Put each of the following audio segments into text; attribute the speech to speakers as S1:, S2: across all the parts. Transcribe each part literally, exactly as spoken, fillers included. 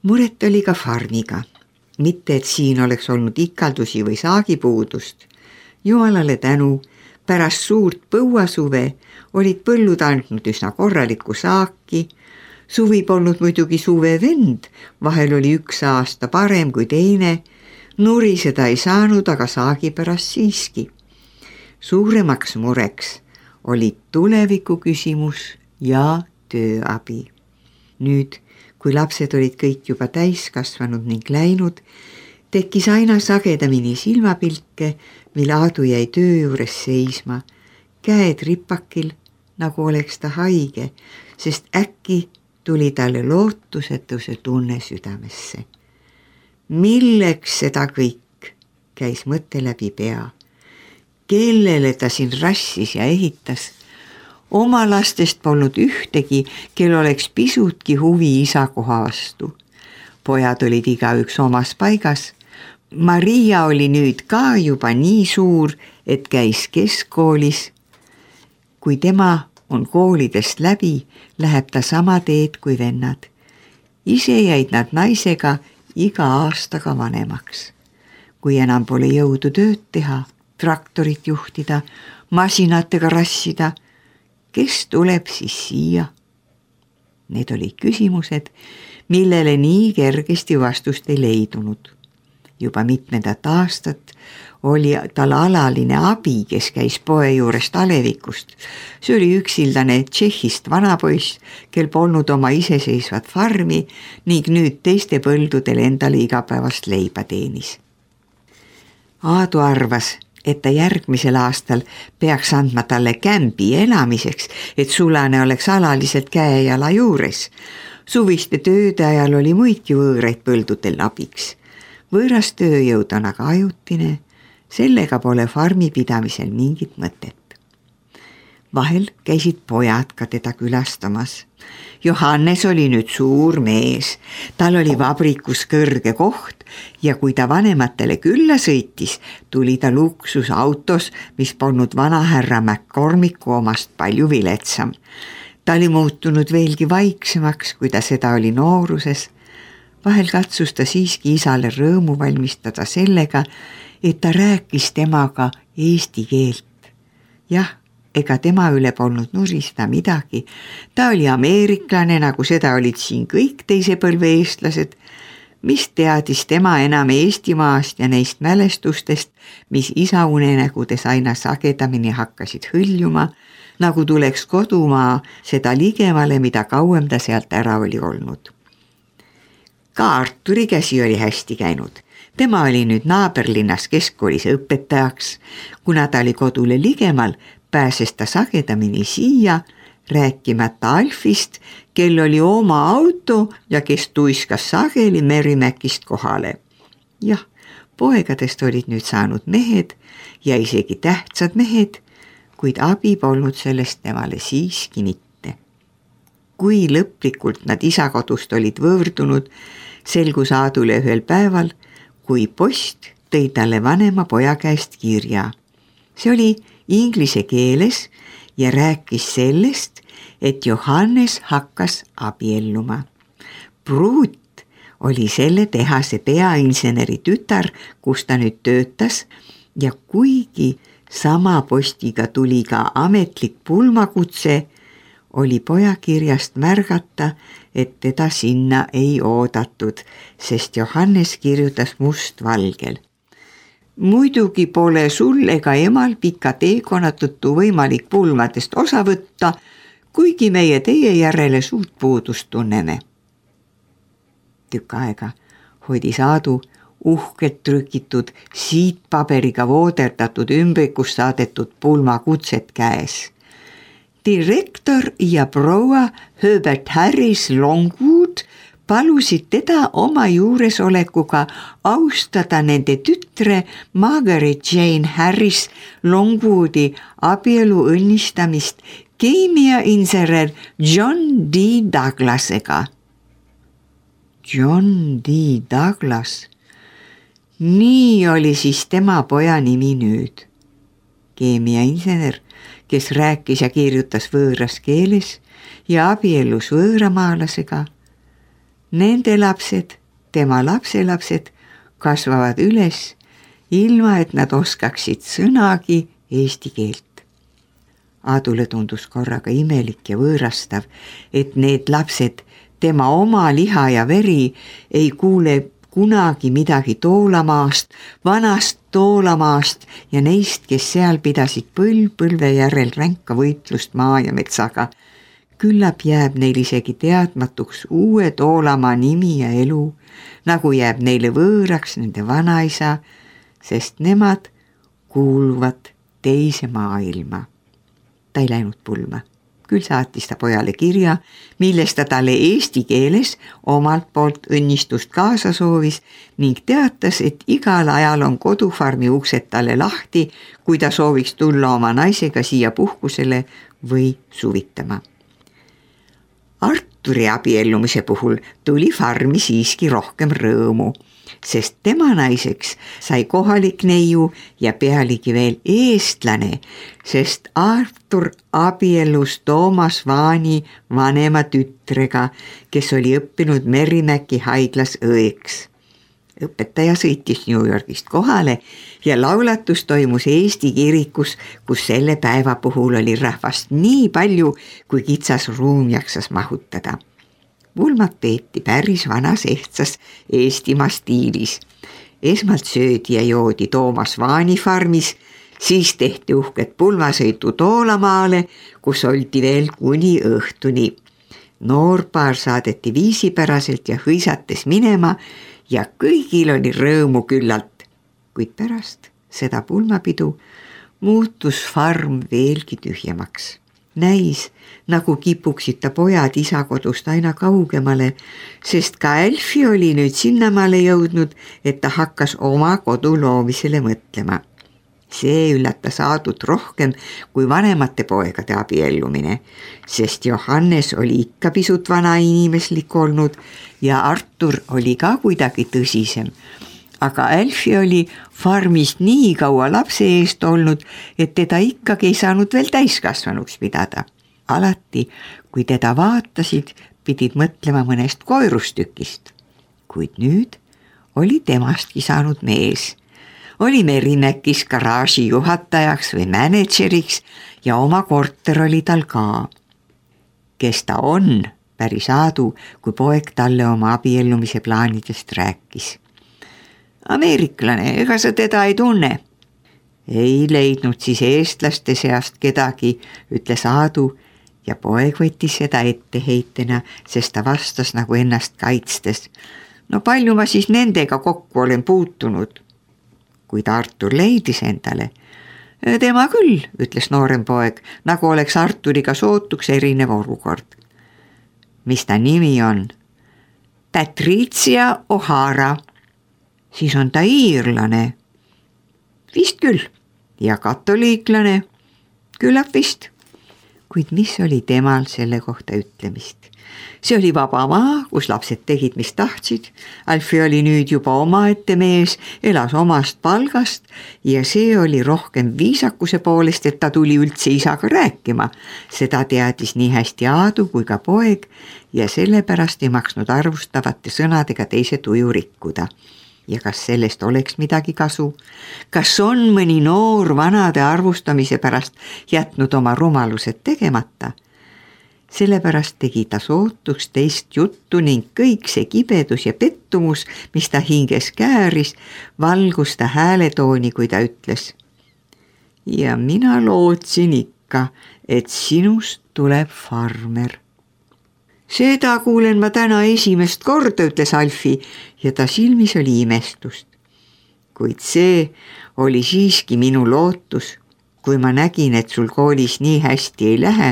S1: Muret oli ka farmiga. Mitte, et siin oleks olnud ikaldusi või saagipuudust. Jumalale tänu, pärast suurt põuasuve olid põllud andnud üsna korralikku saaki. Suvi polnud muidugi suve vend, vahel oli üks aasta parem kui teine. Nuriseda ei saanud, aga saagi pärast siiski. Suuremaks mureks olid tuleviku küsimus ja tööabi. Nüüd, kui lapsed olid kõik juba täiskasvanud ning läinud, tekkis aina sagedamini silmapilke, mil Aadu jäi töö juures seisma, käed ripakil, nagu oleks ta haige, sest äkki tuli talle lootusetuse tunne südamesse. Milleks seda kõik, käis mõte läbi pea. Kellele ta siin rassis ja ehitas? Oma lastest polnud ühtegi, kel oleks pisutki huvi isa koha vastu. Pojad olid igaüks omas paigas. Maria oli nüüd ka juba nii suur, et käis keskkoolis. Kui tema on koolidest läbi, läheb ta sama teed kui vennad. Ise jäid nad naisega iga aastaga vanemaks. Kui enam pole jõudu tööd teha, traktorit juhtida, masinatega rassida, kes tuleb siis siia? Need olid küsimused, millele nii kergesti vastust ei leidunud. Juba mitmendat aastat oli tal alaline abi, kes käis poe juurest alevikust. See oli üksildane Tšehhist vanapoiss, kel polnud oma iseseisvat farmi ning nüüd teiste põldudel endale igapäevast leiba teenis. Aadu arvas, et ta järgmisel aastal peaks andma talle kämbi elamiseks, et sulane oleks alaliselt käejala juures. Suviste tööde ajal oli muidki võõraid põldudel abiks. Võõras tööjõud on aga ajutine, sellega pole farmi pidamisel mingit mõtet. Vahel käisid pojad ka teda külastamas. Johannes oli nüüd suur mees, tal oli vabrikus kõrge koht ja kui ta vanematele külla sõitis, tuli ta luksusautos, mis polnud vanahärra McCormicku omast palju viletsam. Ta oli muutunud veelgi vaiksemaks, kui ta seda oli nooruses. Vahel katsus ta siiski isale rõõmu valmistada sellega, et ta rääkis temaga eesti keelt. Jah, ega tema üle polnud nuriseda midagi. Ta oli ameeriklane, nagu seda olid siin kõik teise põlve eestlased, mis teadis tema enam Eestimaast ja neist mälestustest, mis isa unenägudes aina sagedamini hakkasid hõljuma, nagu tuleks kodumaa seda ligemale, mida kauem ta sealt ära oli olnud. Ka Arturi käsi oli hästi käinud. Tema oli nüüd naaberlinnas keskkoolis õpetajaks. Kuna ta oli kodule ligemal, pääses ta sagedamini siia, rääkimata Alfist, kel oli oma auto ja kes tuiskas sageli Merimäkist kohale. Jah, poegadest olid nüüd saanud mehed ja isegi tähtsad mehed, kuid abi polnud sellest temale siiski mitte. Kui lõplikult nad isakodust olid võõrdunud, selgus Aadule ühel päeval, kui post tõi talle vanema poja käest kirja. See oli inglise keeles ja rääkis sellest, et Johannes hakkas abielluma. Pruut oli selle tehase peainseneri tütar, kus ta nüüd töötas ja kuigi sama postiga tuli ka ametlik pulmakutse, oli poja kirjast märgata, et teda sinna ei oodatud, sest Johannes kirjutas mustvalgel. Muidugi pole sul ega emal pika teekonna tõttu võimalik pulmadest osa võtta, kuigi meie teie järele suurt puudust tunneme. Tükk aega hoidis Aadu uhkelt trükitud siitpaberiga vooderdatud ümbrikust saadetud pulmakutset käes. Direktor ja proua Herbert Harris Longwood palusid teda oma juuresolekuga austada nende tütre Margaret Jane Harris Longwoodi abielu õnnistamist keemiainsener John D. Douglasega. John D. Douglas. Nii oli siis tema poja nimi nüüd. Keemiainsener, kes rääkis ja kirjutas võõras keeles ja abiellus võõramaalasega. nende lapsed, tema lapselapsed kasvavad üles, ilma et nad oskaksid sõnagi eesti keelt. Aadule tundus korraga imelik ja võõrastav, et need lapsed, tema oma liha ja veri, ei kuule kunagi midagi Toolamaast, vanast Toolamaast ja neist, kes seal pidasid põlv põlve järel ränka võitlust maa ja metsaga. Küllap jääb neil isegi teadmatuks uue Toolamaa nimi ja elu, nagu jääb neile võõraks nende vanaisa, sest nemad kuuluvad teise maailma. Ta ei läinud pulma. Küll saatis ta pojale kirja, milles ta talle eesti keeles omalt poolt õnnistust kaasa soovis ning teatas, et igal ajal on kodufarmi uksed talle lahti, kui ta sooviks tulla oma naisega siia puhkusele või suvitama. Arturi abiellumise puhul tuli farmi siiski rohkem rõõmu, sest tema naiseks sai kohalik neiu ja pealegi veel eestlane, sest Artur abiellus Toomas Vaani vanema tütrega, kes oli õppinud Merrimäki haiglas õeks. Õpetaja sõitis New Yorgist kohale ja laulatus toimus Eesti kirikus, kus selle päeva puhul oli rahvast nii palju, kui kitsas ruum jaksas mahutada. Pulmad peeti päris vanas ehtsas Eestimaa stiilis. Esmalt söödi ja joodi Toomas Vaani farmis, siis tehti uhket pulmasõitu Toolamaale, kus oldi veel kuni õhtuni. Noorpaar saadeti viisipäraselt ja hõisates minema ja kõigil oli rõõmu küllalt, kuid pärast seda pulmapidu muutus farm veelgi tühjemaks. Näis, nagu kipuksid ta pojad isa kodust aina kaugemale, sest ka Elfi oli nüüd sinnamaale jõudnud, et ta hakkas oma kodu loomisele mõtlema. See üllatas Aadut rohkem kui vanemate poegade abiellumine, sest Johannes oli ikka pisut vanainimeslik olnud ja Artur oli ka kuidagi tõsisem. Aga Elfi oli farmis nii kaua lapse eest olnud, et teda ikkagi ei saanud veel täiskasvanuks pidada. Alati, kui teda vaatasid, pidid mõtlema mõnest koirustükist. Kuid nüüd oli temastki saanud mees. Oli Merrimäkis garaaži juhatajaks või mänedžeriks ja oma korter oli tal ka. Kes ta on, päris Aadu, kui poeg talle oma abiellumise plaanidest rääkis. Ameeriklane, ega sa teda ei tunne? Ei leidnud siis eestlaste seast kedagi, ütles Aadu ja poeg võttis seda etteheitena, sest ta vastas nagu ennast kaitstes. No palju ma siis nendega kokku olen puutunud? Kuid Artur leidis endale. Tema küll, ütles noorem poeg, nagu oleks Arturiga sootuks erinev olukord. Mis ta nimi on? Patricia O'Hara. Siis on ta iirlane. Vist küll. Ja katoliiklane. Küllap vist. Kuid mis oli temal selle kohta ütlemist? See oli vaba maa, kus lapsed tegid, mis tahtsid. Alfi oli nüüd juba omaette mees, elas omast palgast ja see oli rohkem viisakuse poolest, et ta tuli üldse isaga rääkima. Seda teadis nii hästi Aadu kui ka poeg ja sellepärast ei maksnud arvustavate sõnadega teise tuju rikkuda. Ja kas sellest oleks midagi kasu? Kas on mõni noor vanade arvustamise pärast jätnud oma rumalused tegemata? Sellepärast tegi ta sootuks teist juttu ning kõik see kibedus ja pettumus, mis ta hinges kääris, valgus ta hääletooni, kui ta ütles. Ja mina lootsin ikka, et sinust tuleb farmer. Seda kuulen ma täna esimest korda, ütles Alfi ja ta silmis oli imestust. Kuid see oli siiski minu lootus. Kui ma nägin, et sul koolis nii hästi ei lähe,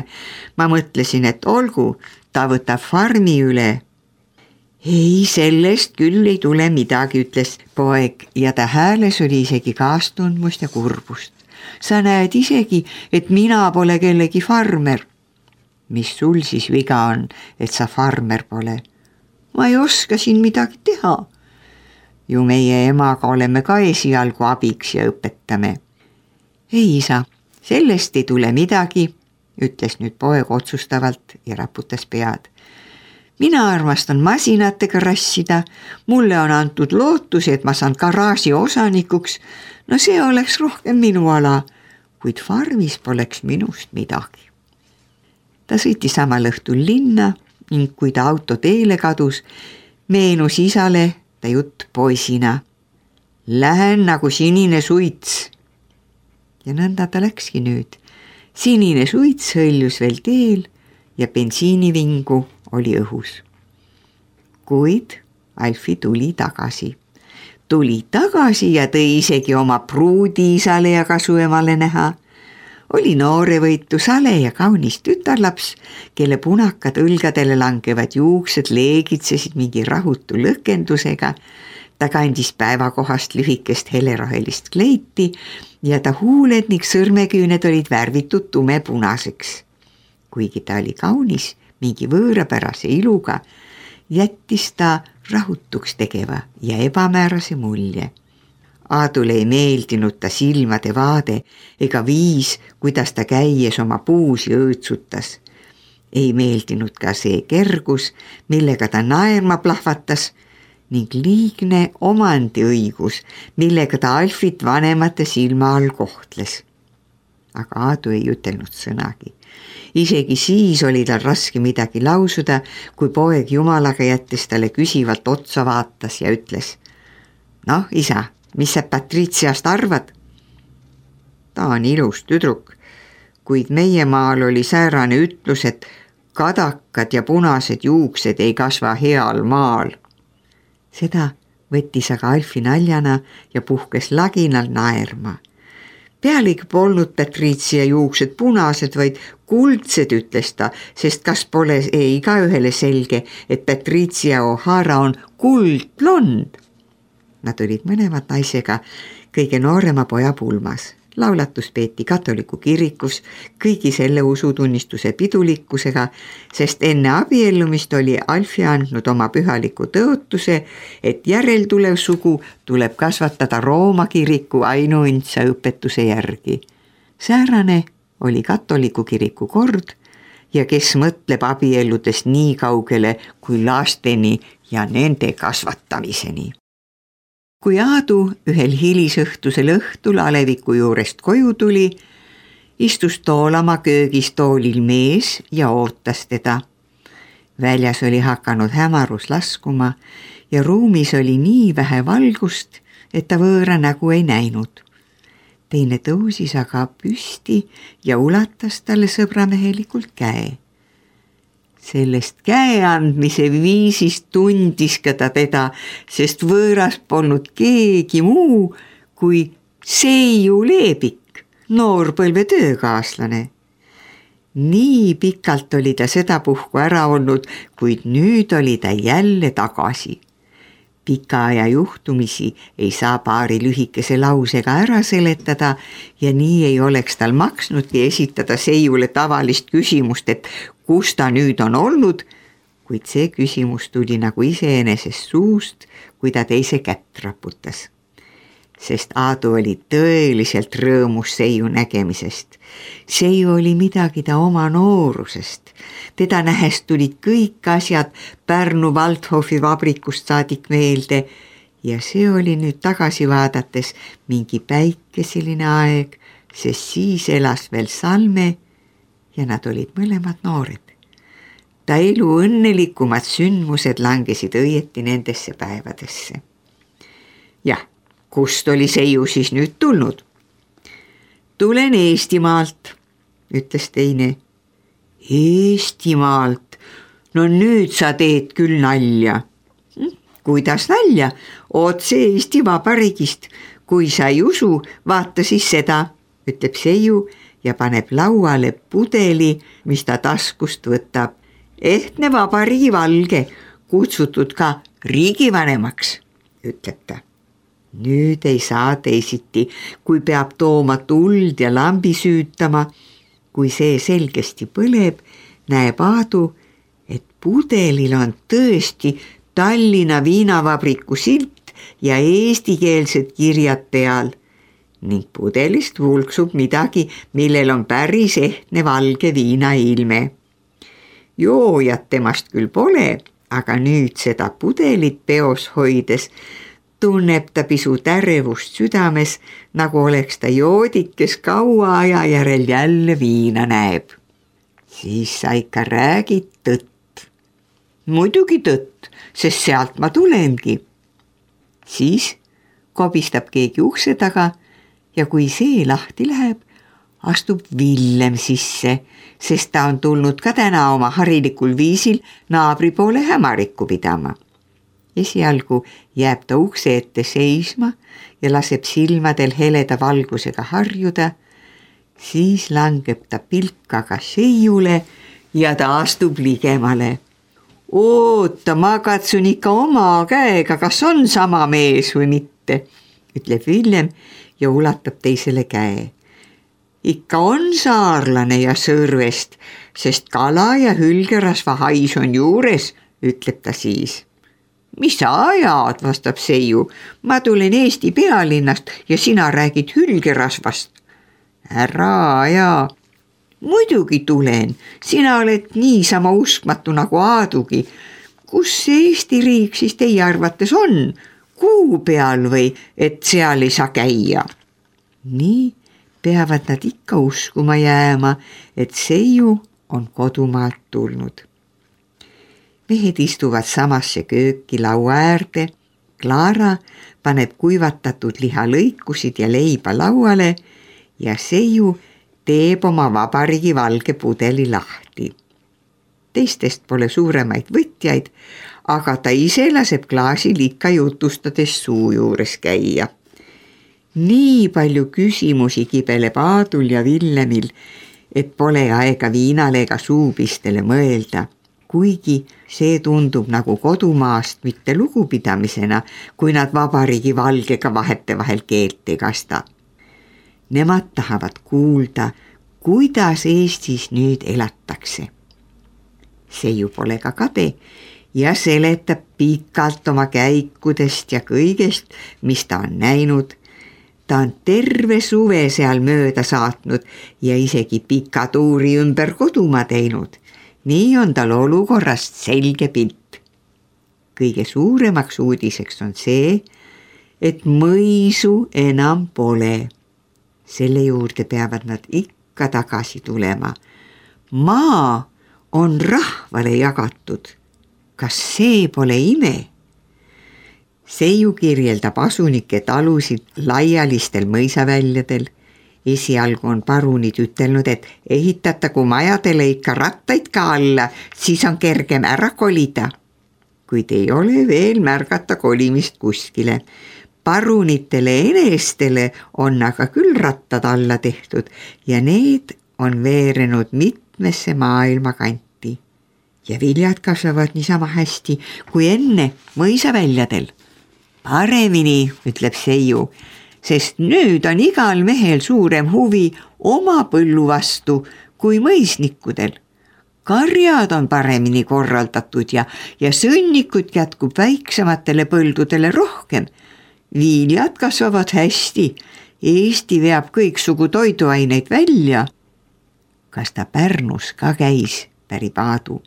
S1: ma mõtlesin, et olgu, ta võtab farmi üle. Ei, sellest küll ei tule midagi, ütles poeg ja ta hääles oli isegi kaastundmust ja kurbust. Sa näed isegi, et mina pole kellegi farmer. Mis sul siis viga on, et sa farmer pole? Ma ei oska siin midagi teha. Ju meie emaga oleme ka esialgu abiks ja õpetame. Ei isa, sellest ei tule midagi, ütles nüüd poeg otsustavalt ja raputas pead. mina armastan masinatega rassida, mulle on antud lootus, et ma saan garaaži osanikuks, no see oleks rohkem minu ala, kuid farmis poleks minust midagi. Ta sõitis samal õhtul linna ning kui ta auto teele kadus, meenus isale ta jutt poisina. Lähen nagu sinine suits. Ja nõnda ta läkski nüüd. Sinine suits hõljus veel teel ja bensiinivingu oli õhus. Kuid Alfi tuli tagasi. Tuli tagasi ja tõi isegi oma pruudi isale ja kasuemale näha. Oli noorevõitu sale ja kaunis tütarlaps, kelle punakad õlgadele langevad juuksed leegitsesid mingi rahutu lõkendusega. Ta kandis päevakohast lühikest helerohelist kleiti ja ta huuled ning sõrmeküüned olid värvitud tumepunaseks. Kuigi ta oli kaunis mingi võõrapärase iluga, jättis ta rahutuks tegeva ja ebamäärase mulje. Aadule ei meeldinud ta silmade vaade ega viis, kuidas ta käies oma puusi õõtsutas. Ei meeldinud ka see kergus, millega ta naerma plahvatas ning liigne omandiõigus, millega ta Alfit vanemate silma all kohtles. Aga Aadu ei ütelnud sõnagi. Isegi siis oli tal raske midagi lausuda, kui poeg jumalaga jättes talle küsivalt otsa vaatas ja ütles: "Noh, isa, mis sa Patritsiast arvad?" "Ta on ilus tüdruk, kuid meie maal oli säärane ütlus, et kadakad ja punased juuksed ei kasva heal maal." Seda võttis aga Alfi naljana ja puhkes laginal naerma. Pealegi polnud Patritsia juuksed punased, vaid kuldsed, ütles ta, sest kas pole ei igaühele selge, et Patritsia O'Hara on kuldblond. Nad olid mõlemad naisega kõige noorema poja pulmas. Laulatus peeti katoliku kirikus kõigi selle usutunnistuse pidulikkusega, sest enne abiellumist oli Alfi andnud oma pühaliku tõotuse, et järeltulev sugu tuleb kasvatada Rooma kiriku ainuõndsa õpetuse järgi. Säärane oli katoliku kiriku kord ja kes mõtleb abielludes nii kaugele kui lasteni ja nende kasvatamiseni. Kui Aadu ühel hilisõhtusel õhtul aleviku juurest koju tuli, istus toolama köögis toolil mees ja ootas teda. Väljas oli hakanud hämarus laskuma ja ruumis oli nii vähe valgust, et ta võõra nägu ei näinud. Teine tõusis aga püsti ja ulatas talle sõbramehelikult käe. Sellest käe andmise viisist tundis ka ta teda, sest võõras polnud keegi muu kui Seiu Leebik, noorpõlve töökaaslane. Nii pikalt oli ta sedapuhku ära olnud, kuid nüüd oli ta jälle tagasi. Pika aja juhtumisi ei saa paari lühikese lausega ära seletada ja nii ei oleks tal maksnudki esitada Seiule tavalist küsimust, et kus ta nüüd on olnud, kuid see küsimus tuli nagu iseenesest suust, kui ta teise kätt raputas. Sest Aadu oli tõeliselt rõõmus Seiu nägemisest. Seiu oli midagi ta oma noorusest. Teda nähes tulid kõik asjad Pärnu Waldhofi vabrikust saadik meelde ja see oli nüüd tagasi vaadates mingi päikeseline aeg, sest siis elas veel Salme ja nad olid mõlemad noored. Ta elu õnnelikumad sündmused langesid õieti nendesse päevadesse. Jah, kust oli Seiu siis nüüd tulnud? Tulen Eestimaalt, ütles teine. Eestimaalt? No nüüd sa teed küll nalja. Kuidas nalja? Otse Eesti Vabariigist. Kui sa ei usu, vaata siis seda, ütleb Seiu ja paneb lauale pudeli, mis ta taskust võtab. Ehtne Vabariigi valge, kutsutud ka riigivanemaks, ütleb ta. Nüüd ei saa teisiti, kui peab tooma tuld ja lambi süütama. Kui see selgesti põleb, näeb Aadu, et pudelil on tõesti Tallinna viinavabriku silt ja eestikeelsed kirjad peal ning pudelist vulksub midagi, millel on päris ehtne valge viinailme. joojat temast küll pole, aga nüüd seda pudelit peos hoides tunneb ta pisut ärevust südames, nagu oleks ta joodik, kes kaua aja järel jälle viina näeb. Siis sa ikka räägid tõtt. Muidugi tõtt, sest sealt ma tulengi. Siis kobistab keegi ukse taga ja kui see lahti läheb, astub Villem sisse, sest ta on tulnud ka täna oma harilikul viisil naabri poole hämarikku pidama. Esialgu jääb ta ukse ette seisma ja laseb silmadel heleda valgusega harjuda, siis langeb ta pilkaga seiule ja ta astub ligemale. Oota, ma katsun ikka oma käega, kas on sama mees või mitte, ütleb Villem ja ulatab teisele käe. Ikka on saarlane ja Sõrvest, sest kala ja hülgerasva hais on juures, ütleb ta siis. Mis sa ajad, vastab Seiu, ma tulen Eesti pealinnast ja sina räägid hülgerasvast. Ära aja. Muidugi tulen, sina oled niisama uskmatu nagu Aadugi. Kus see Eesti riik siis teie arvates on? Kuu peal või, et seal ei saa käia? Nii peavad nad ikka uskuma jääma, et Seiu on kodumaalt tulnud. Mehed istuvad samasse kööki laua äärde, Klaara paneb kuivatatud lihalõikusid ja leiba lauale ja Seiu teeb oma vabariigi valge pudeli lahti. Teistest pole suuremaid võtjaid, aga ta ise laseb klaasil ikka jutustades suu juures käia. Nii palju küsimusi kibeleb Aadul ja Villemil, et pole aega viinale ega suupistele mõelda, kuigi see tundub nagu kodumaast mitte lugupidamisena, kui nad vabariigi valgega vahetevahel keelt ei kasta. Nemad tahavad kuulda, kuidas Eestis nüüd elatakse. Seiu pole ka kade ja seletab pikalt oma käikudest ja kõigest, mis ta on näinud. Ta on terve suve seal mööda saatnud ja isegi pika tuuri ümber kodumaa teinud. Nii on tal olukorrast selge pilt. Kõige suuremaks uudiseks on see, et mõisu enam pole. Selle juurde peavad nad ikka tagasi tulema. Maa on rahvale jagatud. Kas see pole ime? Seiu kirjeldab asunike talusid laialistel mõisaväljadel. Esialgu on parunid ütelnud, et ehitatagu majadele ikka rattaid ka alla, siis on kergem ära kolida. Kuid ei ole veel märgata kolimist kuskile. Parunitele enestele on aga küll rattad alla tehtud ja need on veerenud mitmesse maailma kanti. Ja viljad kasvavad niisama hästi kui enne mõisaväljadel. Paremini, ütleb Seiu, sest nüüd on igal mehel suurem huvi oma põllu vastu kui mõisnikudel. Karjad on paremini korraldatud ja, ja sõnnikut jätkub väiksematele põldudele rohkem. Viljad kasvavad hästi, Eesti veab kõiksugu toiduaineid välja. Kas ta Pärnus ka käis, pärib Aadu?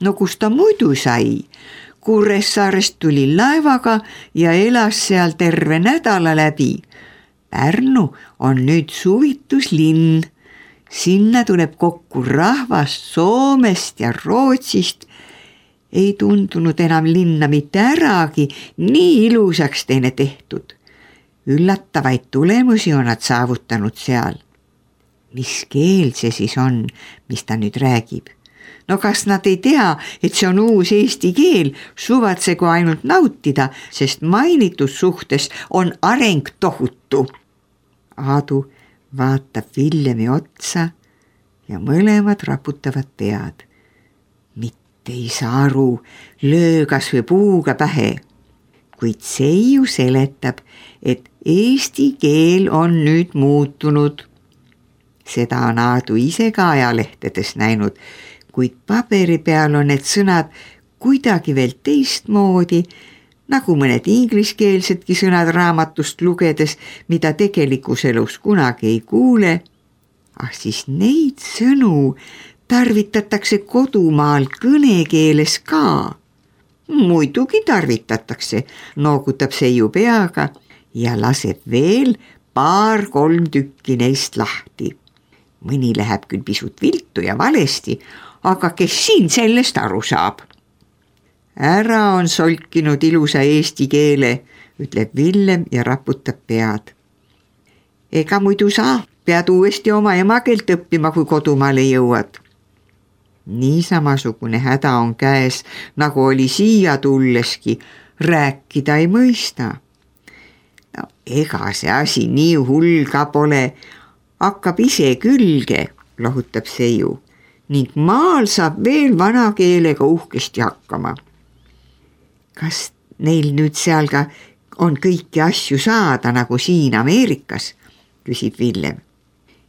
S1: No kus ta muidu sai? Kuressaarest tuli laevaga ja elas seal terve nädala läbi. Pärnu on nüüd suvituslinn. Sinna tuleb kokku rahvast Soomest ja Rootsist. Ei tundunud enam linna mitte äragi, nii ilusaks teine tehtud. Üllatavaid tulemusi on nad saavutanud seal. Mis keel see siis on, mis ta nüüd räägib? No kas nad ei tea, et see on uus eesti keel, suvatsegu ainult nautida, sest mainitud suhtes on areng tohutu. Aadu vaatab Villemi otsa ja mõlemad raputavad pead. Ei saa aru, löö kas või puuga pähe, kuid Seiu seletab, et eesti keel on nüüd muutunud. Seda on Aadu ise ka ajalehtedes näinud, kuid paberi peal on need sõnad kuidagi veel teistmoodi, nagu mõned ingliskeelsedki sõnad raamatust lugedes, mida tegelikus elus kunagi ei kuule. Ah siis neid sõnu tarvitatakse kodumaal kõnekeeles ka. Muidugi tarvitatakse, noogutab Seiu peaga ja laseb veel paar-kolm tükki neist lahti. Mõni läheb küll pisut viltu ja valesti, aga kes siin sellest aru saab? Ära on solkinud ilusa eesti keele, ütleb Villem ja raputab pead. Ega muidu saa, pead uuesti oma emakeelt õppima, kui kodumaale jõuad. Nii samasugune häda on käes, nagu oli siia tulleski, rääkida ei mõista. No, ega see asi nii hull ka pole, hakkab ise külge, lohutab Seiu, ning maal saab veel vana keelega uhkesti hakkama. Kas neil nüüd seal ka on kõiki asju saada nagu siin Ameerikas, küsib Villem.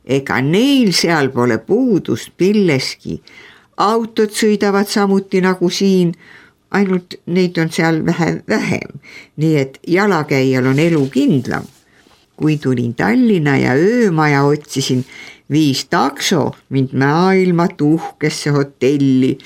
S1: Ega neil seal pole puudust milleski, autod sõidavad samuti nagu siin, ainult neid on seal vähe vähem, nii et jalakäijal on elu kindlam. Kui tulin Tallinna ja öömaja otsisin, viis takso mind maailma tuhkesse hotelli.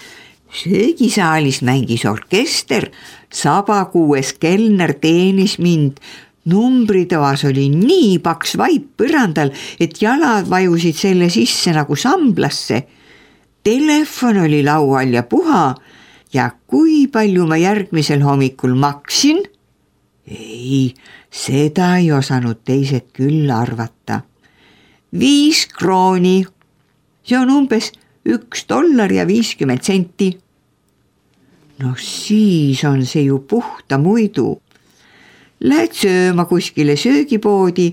S1: Söögisaalis mängis orkester, sabakuues kelner teenis mind. Numbritoas oli nii paks vaip põrandal, et jalad vajusid selle sisse nagu samblasse. Telefon oli laual ja puha ja kui palju ma järgmisel hommikul maksin? Ei, seda ei osanud teised küll arvata. Viis krooni, see on umbes üks dollar ja viiskümmend senti. No siis on see ju puhta muidu. Lähed sööma kuskile söögipoodi,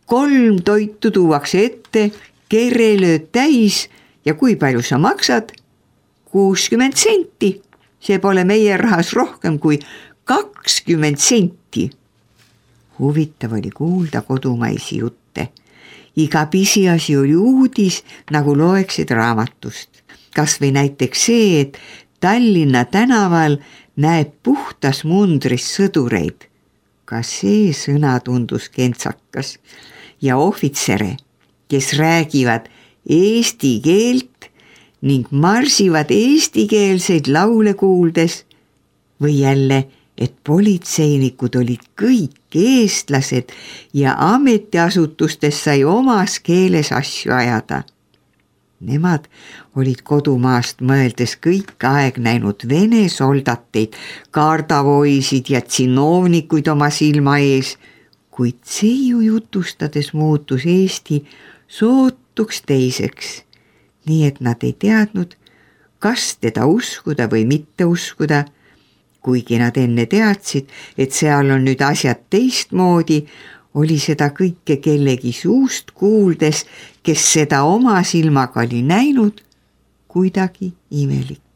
S1: kolm toitu tuuakse ette, kere lööd täis ja kui palju sa maksad? kuuskümmend senti. See pole meie rahas rohkem kui kakskümmend senti. Huvitav oli kuulda kodumaisi jutte. Iga pisiasi oli uudis, nagu loeksid raamatust. Kas või näiteks see, et Tallinna tänaval näeb puhtas mundris sõdureid. Ka see sõna tundus kentsakas ja ohvitsere, kes räägivad eesti keelt ning marsivad eestikeelseid laule kuuldes või jälle, et politseinikud olid kõik eestlased ja ametiasutustes sai omas keeles asju ajada. Nemad olid kodumaast mõeldes kõik aeg näinud vene soldateid, kaardavoisid ja tsinovnikuid oma silma ees, kuid Seiu jutustades muutus Eesti sootuks teiseks, nii et nad ei teadnud, kas teda uskuda või mitte uskuda, kuigi nad enne teadsid, et seal on nüüd asjad teistmoodi, oli seda kõike kellegi suust kuuldes, kes seda oma silmaga oli näinud, kuidagi imelik.